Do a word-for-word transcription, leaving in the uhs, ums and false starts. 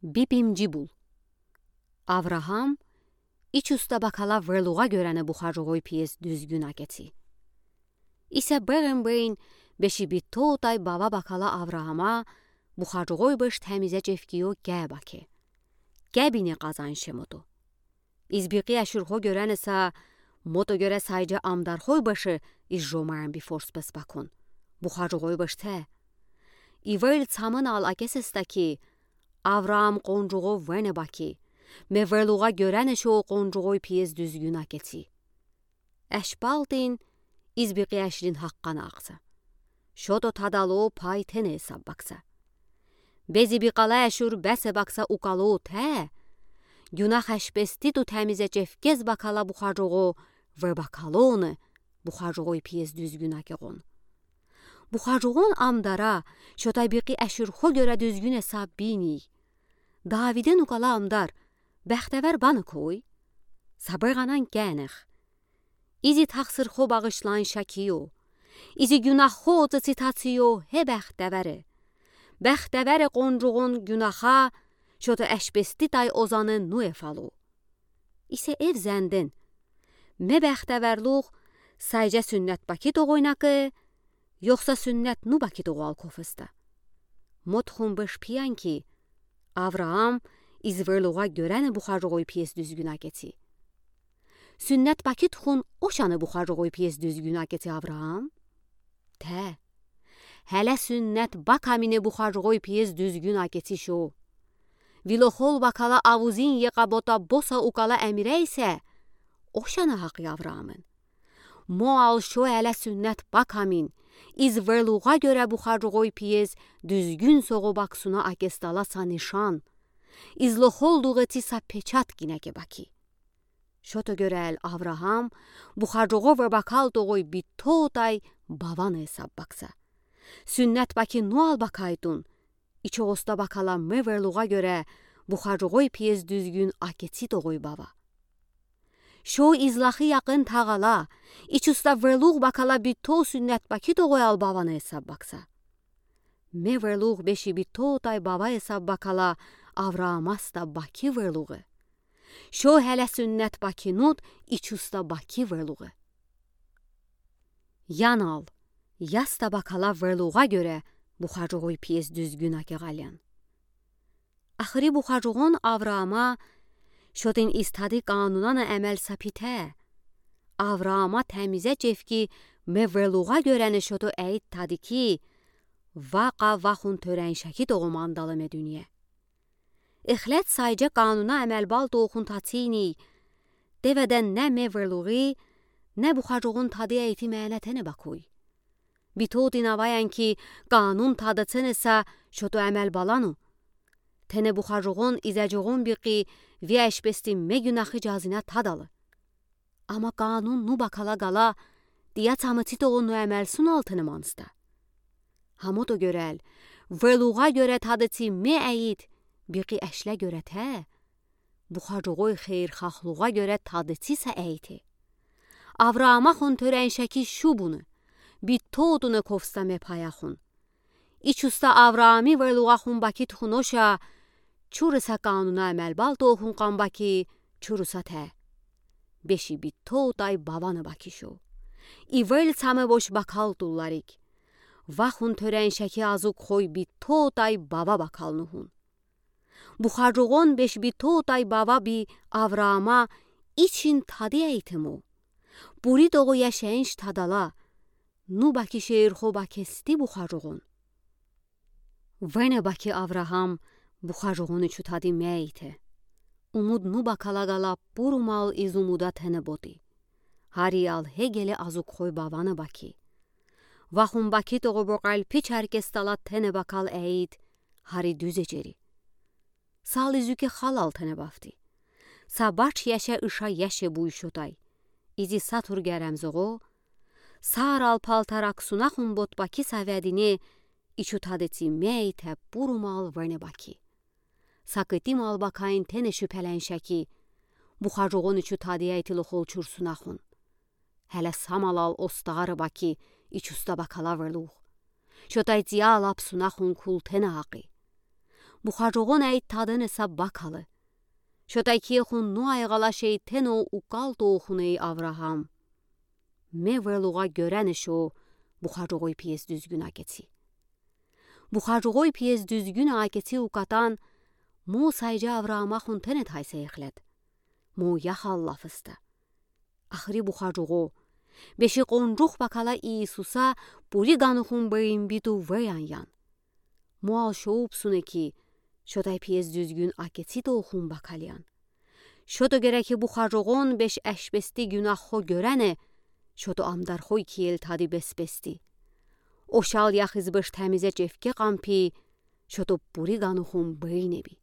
Бибим Джибул. Авраам ичуста бакала верлуğa гёрени бухаржугъой пиез дуьзгюн акеци. Иса бегъем бейин беши битотай бава бакала Авраама бухаржугъой беш темизе чевкио кеб аке. Кебине къазанш мото. Из бикъи ашурхо гёрени са, мото гёре сайджа амдархой беши из жомарен би форс пес бакун. Бухаржугъой беш те. Ивел цамын ал акесеста ки, Авраам къонжугъо вене баки, ме верлуğa гёрени шо къонжугъой пиез дуьзгюн акеци. Аш балтин из бикъи ашрин гьаккъана акса. Шото тадало пай тене эсаб бакса. Бези бикъала ашур бесе бакса укало те. Гюнах ашпести ту темизе чевкез бакала бухаржугъо ве бакалони бухаржугъой пиез дуьзгюн акегъон. Бухаржугъон амдара шотай бикъи ашурхо гёре дуьзгюн эсаб бини. Давиден укала амдар бехтевер бани кой? Са бегъанан кенех. Изи тахсырхо багъышлан шакио. Изи гюнахо цицитацио гье бехтевере. Бехтевере къонжугъон гюнаха шото ашпеститай озани нуе фало. Исе эв зенден. Ме бехтеверлух сайджа суннет баки тогъойна ке, ёхса суннет ну баки тогъал кофеста. Мотхун беш пиян ки, Авраам из верлуğa гёрени бухаржугъой пиез дуьзгюн акеци. Суннет баки тухун ошани бухаржугъой пиез дуьзгюн акеци Авраам? Те. Гьеле суннет бакамине бухаржугъой пиез дуьзгюн акеци шо. Вилохол бакала авузин йикъа бота боса укала эмире исе, ошани гьакъи Авраамын. Мо ал шо гьеле суннет бакамин, из верлуğa гёре бухаржугъой пиез дуьзгюн соғо баксуна акесдала са нишан. Из лохолдугъ эци са печат гинеке баки. Шото гёрел Авраам бухаржугъо ве бакал тогъой битотай бавани эсаб бакса. Суннет баки ну ал бакайтун, ичоста бакала ме верлуğa гёре бухаржугъой пиез дуьзгюн акеци тогъой бава. Шо из лахи якъын тагъала, ичуста верлуғ бакала бито суннет баки тогъой ал бавани эсаб бакса. Ме верлуғ беши битотай бава эсаб бакала Авраамаста баки верлуғе. Шо гьеле суннет баки нуд ичуста баки верлуғе. Ян ал, яста бакала верлуға гёре бухаржуғой пиез дуьзгюн акеғалиян. Ахыри бухаржуғон Авраама шотин из тади канунана эмел са пите. Авраама темизе чевки ме верлуға гёрени шото эйт тади ки, вақа вахун тёреншаки тоғу мандалы ме дуния. Эхлет сайже кануна эмел бал тоохун тацини, деведен не ме верлуғи, не бухаржуғон тади эйти мене тене бакуй. Битоти наваян ки канун тадацене са шото эмел балану. Тене бухаржуғон изажуғон бики вияш пести ме гюнахи жазина тадалы. Ама канун ну бакала гала, дия цамыци тоғу ну эмел сунал тене манста. Хамото гёрел, верлуға гёре тадыци ме эйт, бики эшле гёре те. Бухаржуғой хейрхахлуға гёре тадыци са эйти. Авраама хун тёреншаки шубуну, битотуну ковста ме паяхун. Ичуста Авраами верлуға хун баки тухуноша, чурыса кануна эмел бал тоохун қан баки, чурыса те. Беши битотай баваны баки шо. Ивел цаме бош бакал тулларик. Вахун тёреншаки азук хой битотай бава бакал нухун. Бухаржуғон беш битотай бава би Авраама ичин тади эйтему. Бури тоғу яшенш тадала. Ну баки шейрхо бакести бухаржуғон. Вене баки Авраам бухаржуғон ичу тади ме эйте. Умуд ну бакала гала бурумал из умуда тене боти. Гьари ал гьегеле азук хой баваны баки. Вахун баки тоғу боқал пич аркестала тене бакал эйт, гьари дуьзе чери. Сал изуке халал тене бафти. Са бач яше ыша яше буй шотай. Изи сатур герем зоғо, сар ал палтар аксуна хун бот баки са ведине, ичу тадыци ме эйте бурумал вене баки. Сакыти мал бакаин тене шупеленшаки, бухаржуғон ичу тади эйти лохол чурсуна хун. Гьеле самалал остары баки ичуста бакала верлуғ. Шотай зиял апсуна хун кул тене акъи. Бухарогон ай таденеса бакалы. Шод Акиехун ну айгъала шейтено укал толхуней Авраам. Ме велуга гёренешо Бухарогой пиес дуьзгюн акеци. Бухарогой пиес дуьзгюн акеци укатан, мо сайжа Авраамахун тенет хайса эхлет. Мо яхал лаф иста. Ахри Бухарого, беши къонжух бакала Иисуса пури ганухун бейимби туввеян ян. Мо ал шоупсуне ки, шод ай пиес дуьзгюн акеци толхун бакалиян. Шод о герек Бухарогон беш эшпести гюнаххо гёрена, шод о амдархой киел тади беспести. Ошал яхиз беш темизе чевке къампи, шод о пури ганухун бейнеби.